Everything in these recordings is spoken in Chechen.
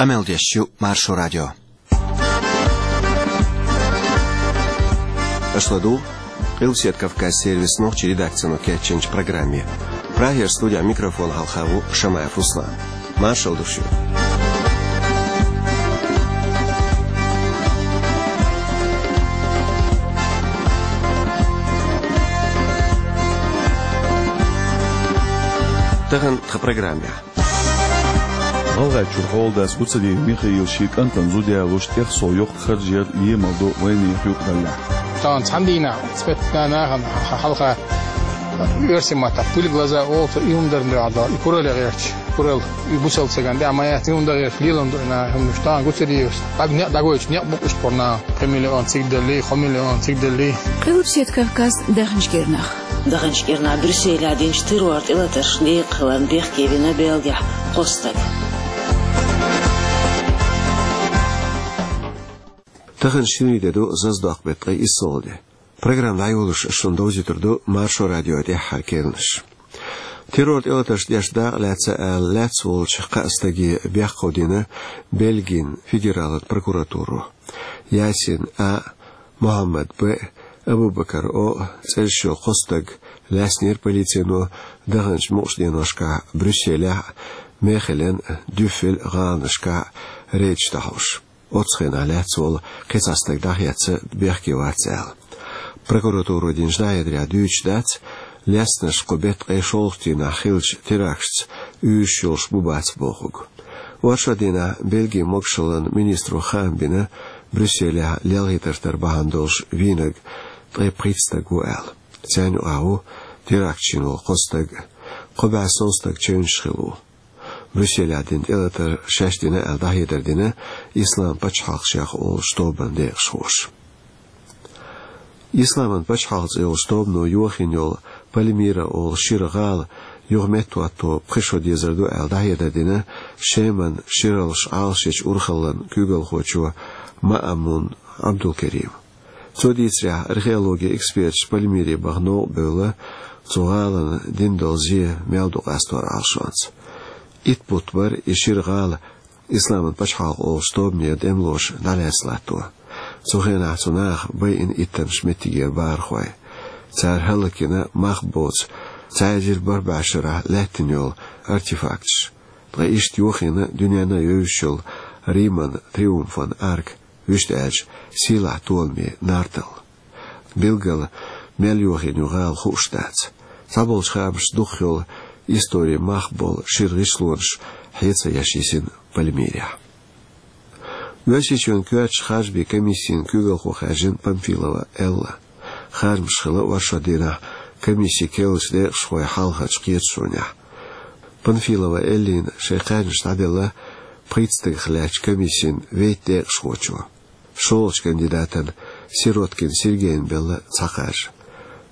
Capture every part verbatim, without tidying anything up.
Къамел деш ю Маршо радио. Аша ладугӀу Къилбаседа Кавказан сервисан нохчийн редакцино кечйинчу программе. Прагера студехь микрофон хьалха ву Шамаев Руслан. Маршалла ду шуьга. Тахана тхан программехь. ГӀалгӀайчуьра хьоладас Гуцериев Михаила шен кӀантана зуда ялош тӀех сов йоккха харж яр емал до вайнехан юкъараллехь. Тахана цхьана дийнахь цхьа метта нахана хьалха оьрсийн маттахь пуьлг лаза олу цо, и хӀума дарна дуьхьал дала, и куралле гӀерташ, куралла, и бусалба стагана тӀехь ма яц, и хӀума дан гӀерташ лелам ду и наха хӀуманаш. Тахана Гуцериевс дӀа-, некъ дӀагойтуш, некъ букъ иштта бара наха, пхи миллион цига даллий, кхо миллион цига даллий. Къилбаседа Кавказ, даханчу кӀирнах. Даханчу кӀирнахь Брюсселехь динчу террор тӀелатаршна декъахь хиларна бехке вина Бельгехь кхо стаг. Тахана шинарин де ду, зазадоккху беттан ткъе иссалгӀа де. Программа дӀайолош шуна довзуьйтур ду Маршо радион тӀаьххьара керланаш. Террор тӀелатаршна деш дакъа лаьцна аьлла, лаьцна волчу кхаа стаге бехк хьовдийна Бельгин федералан прокуратуро. Ясин А, Мухьаммад Б, Абубакар О цӀераш йолу кхо стаг лаьцнера полицино даханчу мукъачу деношкахь Брюсселехь а, Мехелен а, Дюффель а гӀаланашкахь а рейдаш дӀахьош. Оццу хенахь лаьцна волу кхин цхьа стаг дӀахецна, бехке вац аьлла. Прокуратуро динчу дӀахьедарехь дуьйцуш дац, лаьцнарш кху беттан ткъе шолгӀачу дийнахь хиллачу теракташца уьйраш йолуш бу-бац бохург. Оршот дийнахь Бельгин могушаллин министро хаам бина, Брюсселехь лелхийтар тара бахьана долуш вийнарг ткъе пхийтта стаг ву аьлла. Царна юкъахь ву теракташ йина волу кхо стаг, кхо бӀе сов стаг чевнаш хилла ву. Брюсселехь дина тӀелатар шаьш дина аьлла дӀахьедар дина Ислам пачхьалкх шех олучу тобанан декъашхоша. Исламан пачхьалкх цӀе йолчу тобано йохийна йолу Пальмира олу шира гӀала юха меттахӀотто пхи шо дезар ду аьлла дӀахьедар дина Шеман шираллаш Ӏалашъечу урхаллан куьйгалхочо Маамун Ӏабдулкеримо. Цо дийцарехь, археологин эксперташа Пальмире баха новкъа бевлла, цу гӀалана дина долу зе мел ду къастор Ӏалашонца. Итт бутт бара и шира гӀала Исламан пачхьалкх олучу тобанера тӀемалоша дӀалаьцна латто. Цу хенахь цу наха байина иттаннаш меттигера бахархой. Цара хӀаллакйина мах боцу цхьа эзар бархӀ бӀе шарахь лаьттина йолу артефакташ. Ткъа иштта йохийна дуьненна а евзаш йолу Риман триумфан арка, вуьшта аьлча, сийлахь толаме нартал. Билггала мел йохийна ю гӀала хууш дац. Цхьаболчу хаамашца, дукхах йолу историн мах болу шира гӀишлонаш хье ца еш йисина Пальмирехь. Оьрсийчоьнан коьртачу харжамийн комиссин куьйгалхо хаьржина Памфилова Элла. Харжамаш хилла оршот дийнахь комиссин керлачу декъашхойн хьалхарчу кхеташонехь. Памфилова Эллина шайн кхаьжнаш дӀаделла пхийтта стагах лаьттачу комиссин вейтта декъашхочо. ШолгӀачу кандидатана Сироткин Сергейна белла цхьа кхаржа.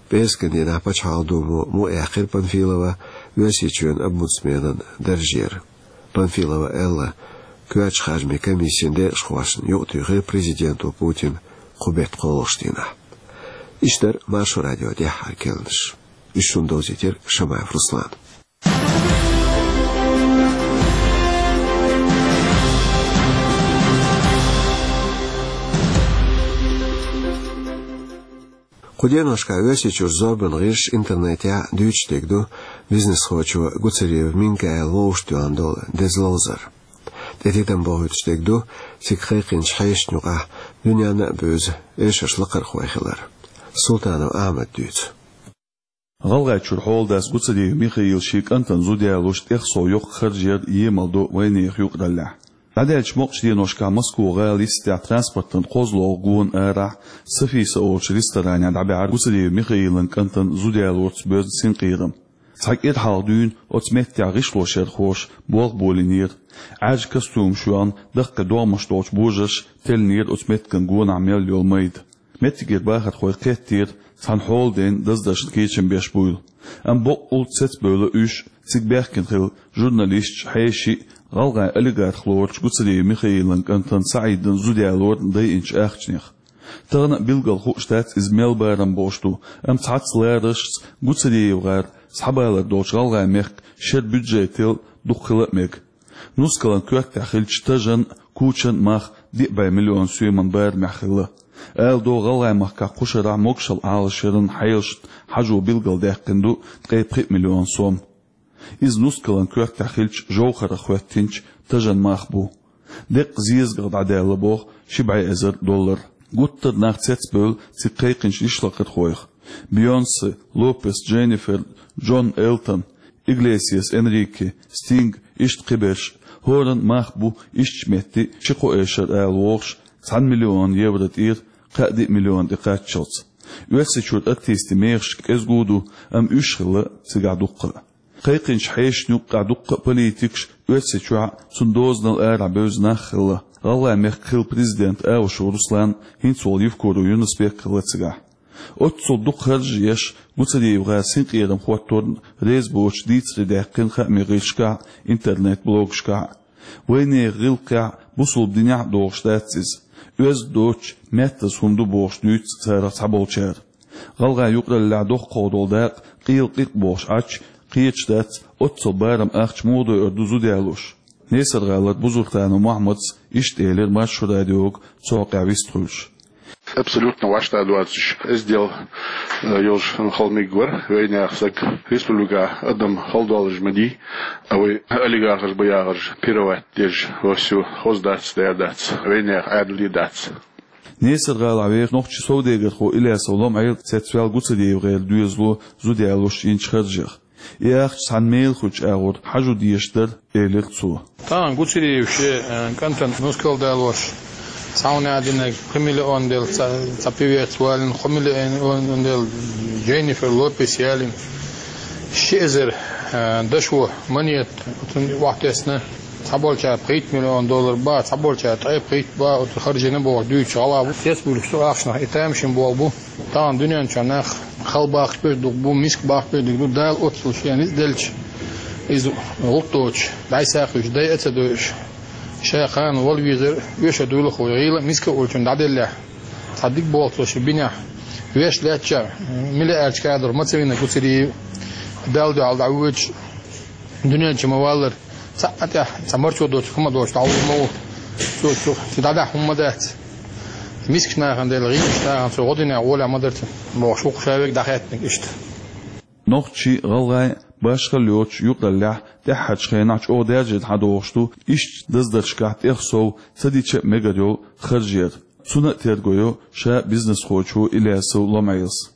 ПӀераскан дийнахь Пачхьалкхан Думо мукъаяьккхира Памфилова Оьрсийчоьнан омбудсменан даржера. Памфилова Элла коьртачу харжамийн комиссин декъашхошна юкъатуьйхира президента Путина кху беттан кхоалгӀачу дийнахь. Иштта дара Маршо радион тӀаьххьара керланаш. Уьш шуна довзийтира Шамаев Руслана. Кху деношкахь Оьрсийчуьра зорбанан гӀирсаша, интернетехь дуьйцуш дерг ду бизнесхочо Гуцериев Минкаила вовшахтоьхна долу деза ловзар. ТӀетигам бохуьйтуш дерг ду цига кхайкхинчу хьешашна юкъахь дуьненна а бевза эшарш лакхархой хилар. Султанов Ахьмада дуьйцу. ГӀалгӀайчуьра хьоладас Гуцериев Михаила шен кӀантана зуда ялош тӀех сов йоккха харж яр емал до вайнехан юкъараллехь. ДӀадаьллачу мукъачу деношкахь Москва-гӀала йистехь транспортан кхозлагӀа гонан арахь Софиса олучу ресторанехь дӀабаьхьира Гуцериев Михаилан кӀантана зуда ялорца боьзна синкъерам. Цхьа кӀира хьалха дуьйна оцу меттехь гӀишлошъярхоша болх болийнера. Ӏаьржа костюмаш йохна, даккхий догӀмаш долчу божарша теллинера оцу меттиган гонахь мел йолу майда. Меттигера бахархой кхеттера, цхьана хьоладайна даздаршна кечам беш буйла. Амма баккъалла цецбевлла уьш, цига баьхкина хилла журналисташ, хьеший, гӀалгӀайн олигарх лоручу Гуцериев Михаилан кӀантана СаӀидан зуда ялорна дайинчу ахчанех. Тахана а билггал хууш дац иза мел барам болуш ду, амма цхьацца лараршца ГуцериевгӀар схьабалар долчу гӀалгӀайн мехкан шеран бюджетал дукха хила а мега. Нускалан коьртехь хиллачу тажан, кучан мах диъ бӀе миллион соьман барамехь хилла. Ала догӀу, ГӀалгӀайн махкахь кху шарахь могушалла Ӏалашъяран хьелашна хьажо билгалдаьккхина ду ткъе пхи миллион сом. Иза нускалан коьртехь хиллачу жовхӀарах хӀоьттинчу тажан мах бу. Деккъа зезагах дӀадаьлла боху ши бӀе эзар доллар. Гуттар а нах цецбевлла цига кхайкхинчу йишлакхархойх: Бейонсе, Лопес Дженнифер, Джон Элтон, Иглесиас Энрике, Стинг, иштта кхиберш. ХӀоранна мах бу ишттачу метте ши-кхо эшар ала вогӀуш, цхьана миллион евро тӀера кхаа-диъ миллион тӀе кхаччалц. Оьрсийчуьра артистийн мехаш кӀезиг а ду, амма уьш хилла цигахь дуккха а. Кхайкхинчу хьешашна юккъехь дуккха а политикаш, Оьрсийчохь а, цуьнан дозанал арахь бевза нах а хилла. ГӀалгӀайн мехкан хилла президент Аушев Руслан, хӀинца волу Евкуров Юнус-Бек хилла цигахь. Оццул дукха харж а еш, Гуцериев-гӀар синкъерам хӀотторна реза боцуш дийцаре даьккхина хаамийн гӀирсашкахь а, интернет-блогашкахь а. Вайнехан гӀиллакхехь, бусалба динехь а догӀуш дац иза. Оьзда доцуш, меттаза хӀума ду бохуш дуьйцу царах цхьаболчара. ГӀалгӀайн юкъараллехь доккхах долу дакъа къела къикъ бохуш Ӏачу кхеташ дац, оццул барам ахча муха дойур ду зуда ялош. Несар-гӀалара Бузуртанов Мохьмадс иштта элира Маршо радиога цу хьокъехь вистхуьлуш. Абсолютно вайна доцуш, эздел, э, йолуш хала мегар вара, вайнехан стаг республика адам хала долуш ма дий, а вай олигархаш бу яхарш пировать деш, вовсю хоза дац, дер дац, вайнехан Ӏаьдале дац. Несар-гӀалахь вехаш нохчийн совдегархо Илясов Лом-Ӏела цецваьлла Гуцериев-гӀеран доьзало зуда ялош йинчу харжех. И ахча цхьана мелахойчу агӀор хьажо дезаш дара, элира цо. Тахана Гуцериев шен, э, кӀантана нускал далош, цхьа хӀума динарг пхи миллион делла, цхьа, цхьа певец валийна, кхо миллион делла Дженнифер Лопес ялийна, ши эзар, э, дашо монета, оцунна охьатесна. Цхьаболчара пхийтта миллион доллар бан, цхьаболчара ткъе пхийтта бан, оцу харжийна бохуш дуьйцуш гӀала бу. Цецбуьйлуш цу ахчанах и тамашийна болу бу. Тахана дуьнен чохь нах хала бахкаш берш дукха бу, миска бахкаш берш дукха ду, Дала оццул шена ницкъ делча, иза гӀуллакх доцуш, дӀасакхуьйсуш, дайа а ца дойуш, ша кхана вала везар, оьшуш дуйла хууш, гӀийла а, миска а волчунна дӀаделлехь. Цхьа дика болу цо шен бинехь. Веш лаьттача, миллиардчу кадор ма ца вина Гуцериев, Далла дуьхьал дӀавоьдуш, дуьнен чу ма валлара. Цхьаъ а тӀехь цхьа марчо доцург хӀума доцуш дӀавур ма ву. Цо цу, цу дӀадахьа хӀума ма дац. Мискачу нахана делла, гӀийлачу нахана цо гӀо динехь гӀолехь ма дара цуьнан, бохуш ву-кх ша верг дӀахаьттинарг иштта. Нохчийн, гӀалгӀайн, башхалла йоцуш юкъараллехь тӀаьххьарчу хенахь чӀогӀа даьржина хьадогӀуш ду иштта даздаршкахь тӀех сов ца дича а мегар йолу харж яр. Цунна а терго йо ша бизнесхочо Илясов Лом-Ӏелас.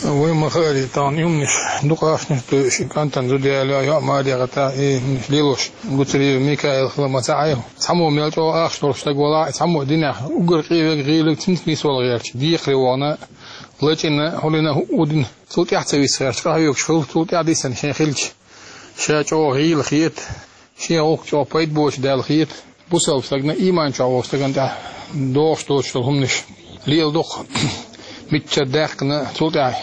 Вай ма хаара, тахана и хӀуманаш дукха ахчанаш а тойуш, и кӀантана зуда яло, йоӀ-маре гӀатта, и хӀуманаш лелош, Гуцериев Микаил хила ма ца Ӏайо. Цхьаммо мел чӀогӀа ахча долуш стаг валахь а, цхьаммо динехь уггар къе верг гӀийлаг цуьнца нисвала гӀерташ, декхаре вахана, лачкъийна, хьулдина хӀуъу дина, цул тӀаьхьа ца виса гӀерташ, къахьоьгуш хилла, цул тӀаьхьа дисина шен хилча, ша чӀогӀа гӀийла хета, шен гӀуллакх чӀогӀа пайда боцуш даьлла хета. Бусалба стагана, иман чохь волчу стагана тӀехь догӀуш доцуш долу хӀуманаш леладо-кх, миччара даьккхина, цул тӀаьхьа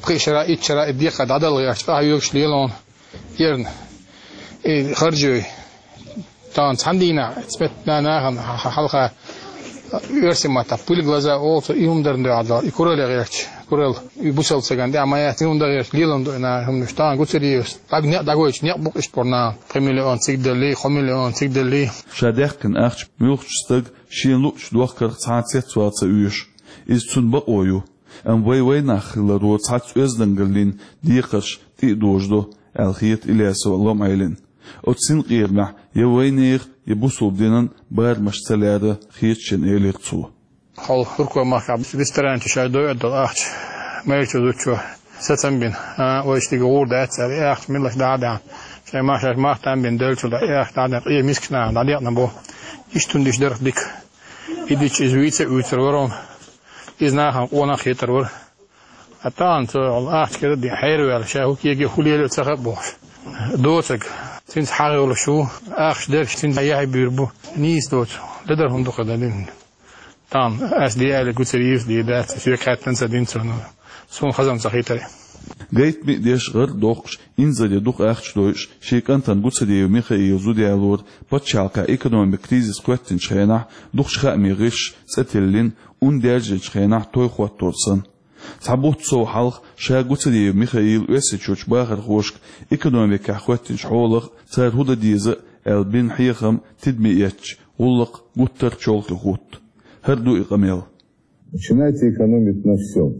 пхи шарахь, итт шарахь и декхар дӀадала гӀерташ, къахьоьгуш лело хьуна, эрна. И харжой, тахана цхьана дийнахь, цхьана нахана хьалха, оьрсийн маттахь пыль в глаза олу цо, и хӀума дарна дуьхьал дала, и куралла гӀерташ, куралла, и бусалба стагана тӀехь ма яц, и хӀума дан гӀерташ, лелам ду и наха хӀуманаш. Тахана Гуцериевс дӀаг-, некъ дӀагойтуш, некъ бу-кх иштта боху нахана, пхи миллион цига деллий, кхо миллион цига деллий. Ша даьккхина ахча муьлххачу стага шена луучу дохкарх цхьа а цецвала ца оьшу. Иза цуьнан бакъо ю. Амма вай вайнах хиларо цхьацца оьздангаллин декхарш тӀе а дожадо, аьлла хета Илясов Лом-Ӏелина. Оцу синкъерамехь я вайнехан, я бусалба динан барамаш ца лаьара хета шена, элира цо. Хьо Туркойн махкахь ресторан чу шаьш дойур долу ахча майрачу зудчо сацам бина. А, вай шига гӀур дац цара, и ахча милаш дӀа а даьхьна. Шайн мах шаьш мах там бина деллачул тӀаьхьа и ахча дӀа а даьхьна, къе мискачу нахана дӀадекъна боху. Иштта хӀума диш дара-кх дика. И дича иза вийца а вуьйцур вара хьуна. Иза нахана къонах а хетар вара. Ткъа тахана цо ахча кӀира а дина, хьераваьлла, ша хӀун кеге, хӀун лело а ца хаьа бохуш. Доцург, цуьнца хьагӀ йолуш ву, ахча дерш цуьнца яхье буьйр бу. Нийса доцу, ледара хӀума ду-кх дан дина. Тахана ас де аьлла, Гуцериевс де дац, соьга хаьттина ца дина цо, но суна хазам ца хийтара. Гайтамми а деш, гӀар а доккхуш, инзаре дукха ахча дойуш, шен кӀантана Гуцериев Михаила зуда ялора пачхьалкхехь экономикан кризис кхоьттинчу хенахь дукхачу хаамийн гӀирсаша цӀе тиллина, ун даьржинчу хенахь той хӀоттор санна. Цхьа бутт сов хьалха ша Гуцериев Михаила Оьрсийчуьрчу бахархошка экономикехь хӀоьттинчу хьолах а, цара хӀун дан деза а аьлла бина хьехам тидаме эцча, гӀуллакх гуттар а чолхе хӀутту. ХӀара ду и къамел. Начинайте экономить на всём.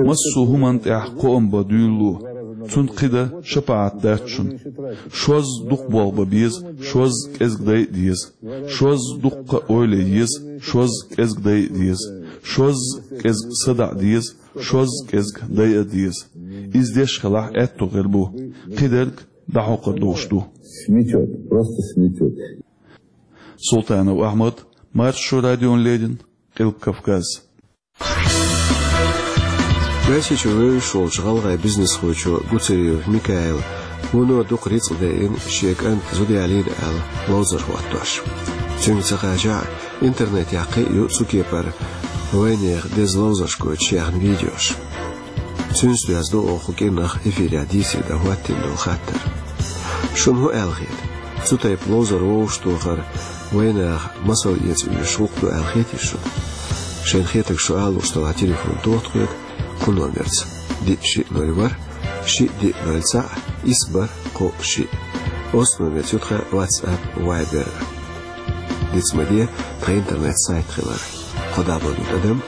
Массо а хӀуманна тӀехь кхоам бан дуьйлало. Цунна кхин дан шапаӀат дац шуна. Шозза дукха болх бан беза, шозза кӀезиг дайа а деза. Шозза дуккха а ойла е еза, шозза кӀезиг дайа а деза. Шозза кӀезиг садаӀа деза, шозза кӀезиг дайа а деза. Иза деш хилахь, аьттув гӀийр бу. Кхидерг дӀахьокхар долуш ду. Сметёт, просто сметёт. Султанов Ахьмад, Маршо радиона леррина, Къилба Кавказ. Оьрсийчу вевзаш волчу гӀалгӀайн бизнесхочо Гуцериев Микаила вуно дукха рицкъ дайина шен кӀанта зуда ялийна аьлла ловзар хӀоттош. Цуьнга ца кхачахь а, интернетехь кхин а ю цу кепара вайнехан деза ловзарш гойтуш яьхна видеош. Цуьнца доьзна ду оха кху кӀирнах эфирехь дийцаре дан хӀоттийна долу хаттар. Шуна хӀун аьлла хета? Цу тайпа ловзар вовшахтохар вайнаха масал эца оьшуш гӀуллакх ду аьлла хетий шуна? Шайна хетарг шу ала лууш делахь, телефон тоха тхоьга кху номерца: диъ шиъ ноль ворхӀ, шиъ диъ ноль цхьаъ, исс бархӀ кхоъ шиъ. Оццу номерца ю тхан WhatsApp, Viber. Диц ма де тхан интернет-сайт хилар: кхо дабл-ю тӀадам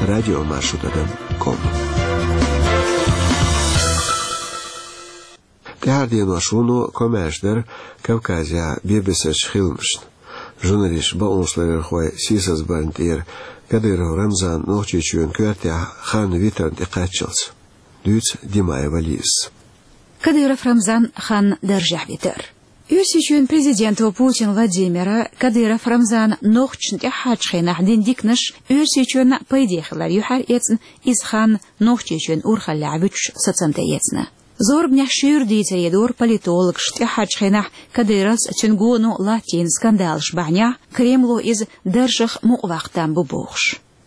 радиомаршо тӀадам ком. ТӀаьхьара денош вуно комаьрша дара Кавказехь бен-бесарчу хиламашна. Журналисташ бакъонашларъярхой сийсазбарна тӀера Кадыров Рамзан Нохчийчоьнан коьртехь хан витарна тӀекхаччалц. Дуьйцу Димаева Лизас. Кадыров Рамзан хан даржехь витар. Оьрсийчоьнан президента Путин Владимира Кадыров Рамзана нохчашна тӀаьххьарчу хенахь дина диканаш Оьрсийчоьнна пайде хилар юьхьар эцна, иза хан Нохчийчоьнан урхаллехь вуьтуш сацам тӀеэцна. Зорбанехь шуьйра дийцаре дора политологаша тӀаьххьарчу хенахь Кадыровс, цуьнан гоно латтийна скандалаш бахьанехь, Кремло иза даржах мукъаваккха там бу бохуш.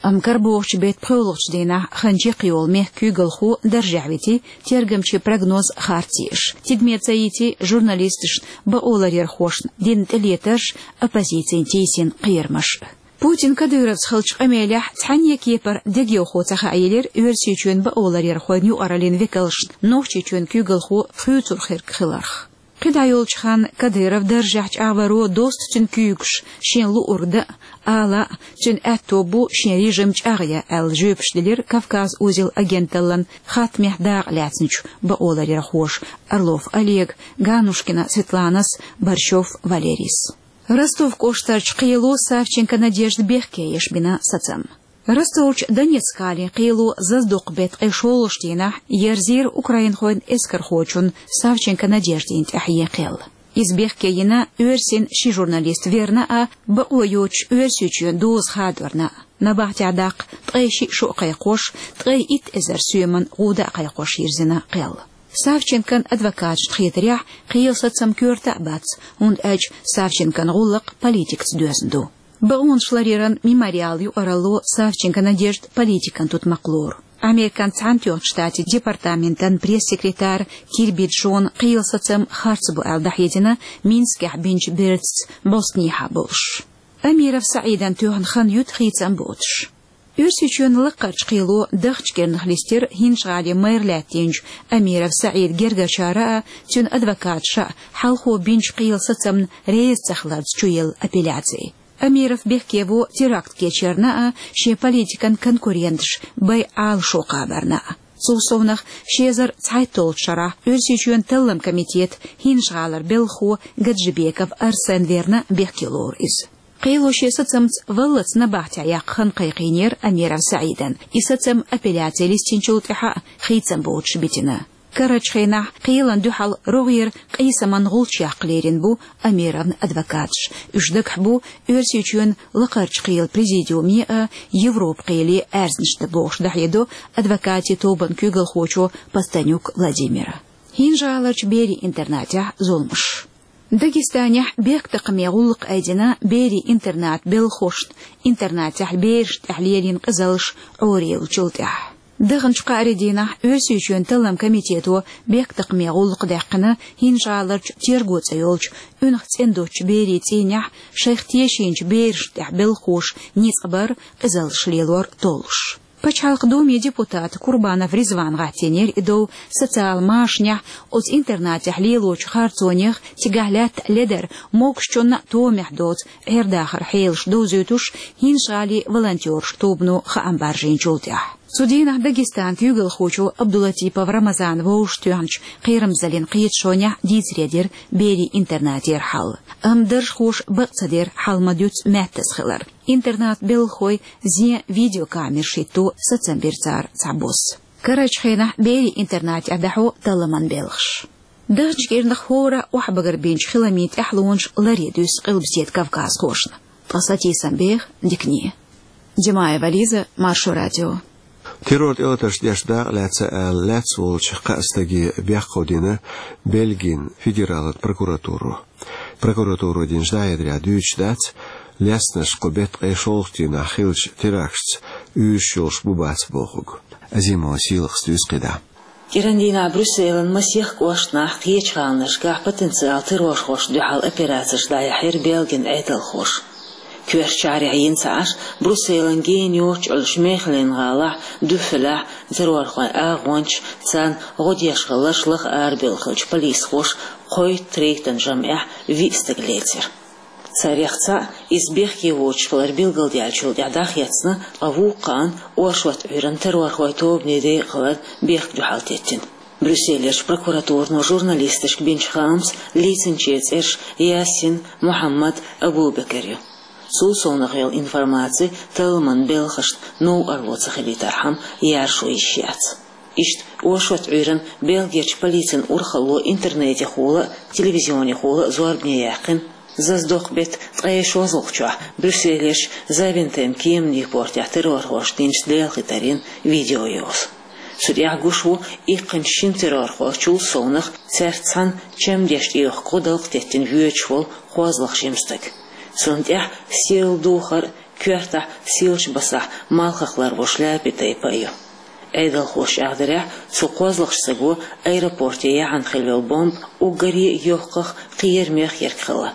Амма карабохучу беттан пхоьалгӀачу дийнахь хан чекхйолу мехкан куьйгалхо даржехь вити, тергамчийн прогноз харц еш, тидаме ца йити журналисташна, бакъоларъярхошна дина тӀелетарш, оппозицина тийсина кхерамаш. Путин Кадыровца хиллачу къамелехь цхьанне а кепара дегайовхо ца хаийлира Оьрсийчоьнан бакъоларъярхойн юкъараллин векалшна Нохчийчоьнан куьйгалхо хуьйцур хирг хиларх. КхидӀа йолчу ханна Кадыров даржехь чӀагӀваро досту цуьнан куьйгаш, шена луург дан а, ала а, цуьнан аьтто бу шен режим чӀагӀъян аьлла жоьпаш делира «Кавказ-Узел» агенталлин хаттамехь дакъа лаьцначу бакъоларъярхоша Орлов Олега, Ганушкина Светланас, Борщев Валерийс. Ростов кӀоштарчу кхело Савченко Надежда бехке еш бина сацам. Ростовчу Донецк-гӀалин кхело зазадоккху беттан ткъе шолгӀачу дийнахь ерзийра украинхойн эскархочунна Савченко Надеждина тӀехь ен кхел. Иза бехке йина оьрсийн ши журналист верна а, бакъо йоцуш Оьрсийчоьнан доза хадорна а. Набахтехь даккха ткъе шиъ шо а кхайкхош, ткъе итт эзар соьман гӀуда а кхайкхош йирзина кхел. Савченкон адвокаташна хетарехь, кхелан сацам коьрта а бац, хӀунда аьлча Савченкон гӀуллакх политикаца доьзна ду. Бакъонаш ларъяран «Мемориал» юкъаралло Савченко Надежда политикан тутмакх лору. Американ Цхьаьнатоьхначу Штатийн департаментан пресс-секретарь Кирби Джона кхелан сацам харц бу аьлла дӀахьедина Минскехь бинчу бердашца бӀостанехьа болуш. Амиров СаӀидан тоьхна хан юьту хийцам боцуш. Оьрсийчоьнан лакхарчу кхело дахча кӀирнах листира ХӀинжа-ГӀалин мэр лаьттинчу Амиров СаӀидан гергарчара а, цуьнан адвокаташа а хьалхо бинчу кхелан сацамна реза ца хиларца чуелла апелляци. Амиров бехке во теракт кечъярна а, шен политикан конкуренташ байъа Ӏалашо кхабарна а. Цул совнах, ши эзар цхьайтталгӀачу шарахь Оьрсийчоьнан Талламан комитетан ХӀинжа-ГӀалара белхахо Гаджибеков Арсен верна бехке лору иза. Кхело шен сацамца валлалц набахтехь яккха хан кхайкхийнера Амиров СаӀидана, и сацам апелляци листинчул тӀаьхьа а хийцам боцуш битина. Карарчу хенахь кхелана дуьхьал рогӀера къийсаман гӀулч яккха лерина бу Амировн адвокаташ. Уьш дагахь бу Оьрсийчоьнан лакхарчу кхелан президиуме а, Европан кхеле а аьрзнаш дан, бохуш дӀахьедо адвокатийн тобанан куьйгалхочо Постанюк Владимира. ХӀинжа-ГӀаларчу берийн интернатехь зуламаш. Дагестанехь бехктакхаме гӀуллакх айдина берийн интернатан белхахошна, интернатехь берашна тӀехь лелийна къизаллаш Ӏорайиллачул тӀаьхьа. Даханчу кхаарин дийнахь Оьрсийчоьнан Талламан комитето бехктакхаме гӀуллакх даьккхина ХӀинжа-ГӀаларчу Терго цӀе йолчу унах цӀена доцучу берийн цӀийнехь шайх тешийначу берашна тӀехь белхахоша ницкъ бар, къизаллаш лелор толлуш. Пачхьалкхан Думин депутата Курбанов Ризвана гӀаттийнера и дов социал машанехь, оцу интернатехь лелочу харцонех, цигахь лаьтта ледар, могушчунна а томехь доцу Ӏер-дахаран хьелаш довзуьйтуш, ХӀинжа-ГӀалин волонтерийн тобано хаам баржийначул тӀаьхьа. Цу дийнахь Дагестанан куьйгалхочо Абдулатипов Рамазана вовшахтоьхначу Кхерамзаллин кхеташонехь дийцаре дира берийн интернатера хьал. Амма даржхоша бакъ ца дира хьал ма-дуьйццу маьттаза хилар. Интернатан белхахой зен видеокамераш хӀитто сацам бира цара цхьабосса. Карарчу хенахь берийн интернатехь дӀахьо талламан белхаш. Даханчу кӀирнах хӀора охьабагар бинчу хиламийн тӀаьхьалонаш ларъян дуьсу Къилбаседа Кавказхошна. Ткъа сатийсам беха дикане. Димаева Лиза, Маршо радио. Террор тӀелатарш деш дакъа лаьцна аьлла, лаьцна волчу кхаа стаге бехк дина Бельгин федералан прокуратуро. Прокуратуро динчу дӀахьедарехь дуьйцуш дац, лецнарш кху беттан ткъе шолгӀачу дийнахь хиллачу теракташца уьйраш йолуш бу-бац бохург. Азимова Сийлахас дуьйцу кхидӀа. КӀиран дийнахь Брюсселан масех кӀоштахь, кхечу гӀаланашкахь потенциал террорхошна дуьхьал операцеш дӀаяьхьира Бельгин Ӏедалхоша. Коьртачу шахьарехь йина ца Ӏаш, Брюсселан гена йоццуш Ӏуьллучу Мехелен-гӀалахь, Дюффелехь террорхойн агӀончаш, царна гӀо деш хилларш лаха арабевлла хиллачу полисхоша кхойтта-третан жамӀехь виъ стаг лецира. Царех цхьаъ, иза бехке воцуш хилар билгалдаьллачул тӀаьхьа дӀахецна, ткъа вукху кхаанна оршот Ӏуьйранна террорхойн тобане декъа хиларна бехк дуьхьал теттина. Брюсселерчу прокуратуро журналисташка бинчу хаамца, лецначеран цӀераш Ясин, Мухьаммад, Абу-Бекар ю. Цул совнаха йолу информаци талламан белхашна новкъарло ца хилийтархьама яржо йиш яц. Иштта оршот Ӏуьйранна Бельгерчу полицин урхалло интернетехула а, телевизионехула а зорбане яьккхина, зазадоккху беттан ткъе шозлагӀчохь Брюсселерчу Завентем кеманийн портехь террорхоша динчу лелхийтарийн видео йовза. Цу тӀехь гуш ву иккхинчу шина террорхочул совнаха цаьрца цхьаьна чамдеш тӀеюхку гӀудалкх теттина воьдуш волу кхозлагӀа жима стаг. Цунна тӀехь сийлахь духар а, коьртахь сийлачу басахь малхах ларвеш лаьпи тайпа а ю. Ӏедалхоша чӀагӀдарехь, цу кхозлагӀчу стага аэропорте яхьана хилла йолу бомба уггаре а йоккхах кхерамех ерг хилла.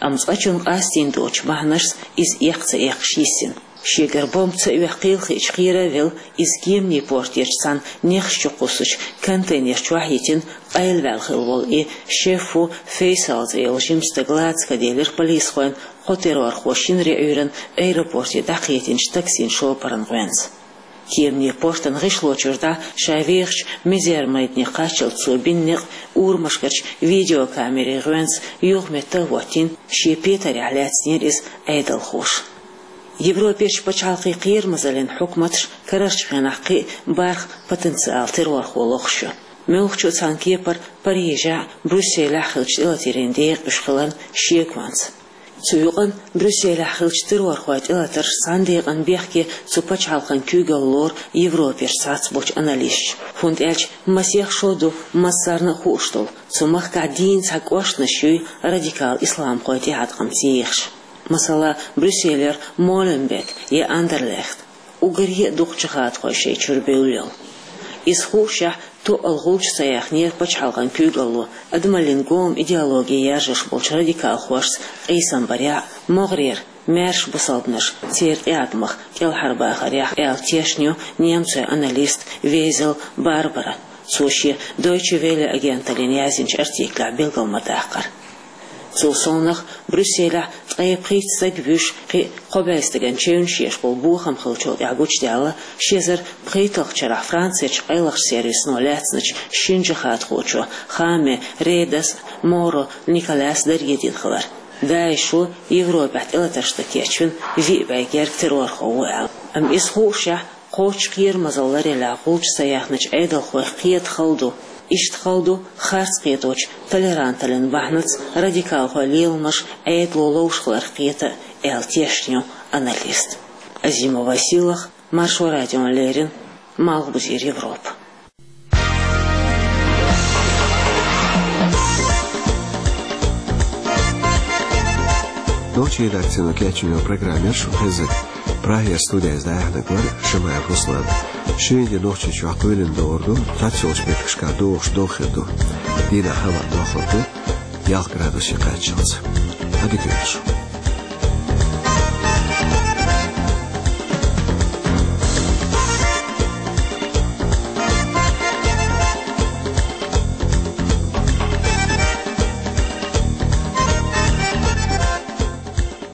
Амма цкъачунна къастийна доцучу бахьанашца иза эккха ца эккхаш йиссина. Шегара бомба ца оьхкийла хиъча кхера а велла, иза кеманийн портерчу цхьана нехаш чу кхуссучу контейнер чохь а йитина, къайлаваьлла хилла волу и Шеффу Фейсал цӀе йолу жима стаг лаца ка делира полисхойн кхо террорхо шинарин Ӏуьйранна аэропорте дӀакхетинчу таксин шопаран гӀоьнца. Кеманийн портан гӀишло чуьра дӀа ша вехачу мизер-майдане кхаччалц цо бина некъ урамашкарчу видеокамерийн гӀоьнца юхаметтахӀоттийна, шен петарехь лаьцнера иза Ӏедалхоша. Европерчу пачхьалкхийн кхерамазаллин хьукматаш карарчу хенахь кхин а бархӀ потенциал террорхо лохуш ю. Муьлххачу цхьана кепара Парижехь а, Брюсселехь а хиллачу тӀелатарийн декъа уьш хиларна шеконца. Цу юкъанна Брюсселехь хиллачу террорхойн тӀелатарша цхьана декъана бехке цу пачхьалкхан куьйгалла лору Европерчу цхьацца болчу аналисташа, хӀунда аьлча масех шо ду массарна а хууш долу, цу махкахь дийна цхьа кӀоштанаш юй радикал исламхойн тӀеӀаткъамца ехаш. Масала, Брюсселера Моленбек я Андерлехт. Уггаре а дукха джихадхой шайн чуьра бевлла йолу. Иза хуушшехь, тоъал гӀулчаш ца яьхнера пачхьалкхан куьйгалло адамаллин гоман идеологи яржош болчу радикалхошца къийсам барехь а, могӀарера маьрша бусалбанаш церан тӀеӀаткъамах кӀелхьарбахарехь а, аьлла тешна ю немцойн аналист Везел Барбара. Цо шен Дойче Велле агенталлина яздинчу артиклехь билгал ма-даккхара. Цул совнаха, Брюсселехь ткъе пхийтта стаг вуьйш, кхин а кхо бӀе стагана чевнаш еш болу бохам хиллачул тӀаьхьа гучудаьлла ши эзар пхийтталгӀачу шарахь Францерчу къайлахчу сервисано лаьцначу шина джихадхочо Хаме Редас а, Моро Николас а даргедина хилар. ДАИШо Европехь тӀелатарш дан кечвина виъ бӀе герга террорхо ву аьлла. Амма иза хуушшехь, кхоччуш кхерамазалла ларъялехь гӀулчаш ца яьхначу Ӏедалхойх кхета хала ду. Иштта хала ду харц кхеточу толеранталлин бахьанаца радикалхойн леламаш Ӏедало ловш хиларх кхета а, аьлла тешна ю аналист. Азимова Сийлахь, Маршо радиона леррина, Малхбузера Европа. Нохчийн редакцино кечйина программа яра шун хезнарг. Прагера студехь дӀаяьхьнарг вара Шамаев Руслан. Шуьйра де Нохчийчохь кхоьлина догӀур ду, цхьаццайолчу меттигашкахь догӀуш догӀа хир ду. Дийнахь хӀаваъ дохлур ду, ялх градусе кхаччалц. Ӏадика йойла шун.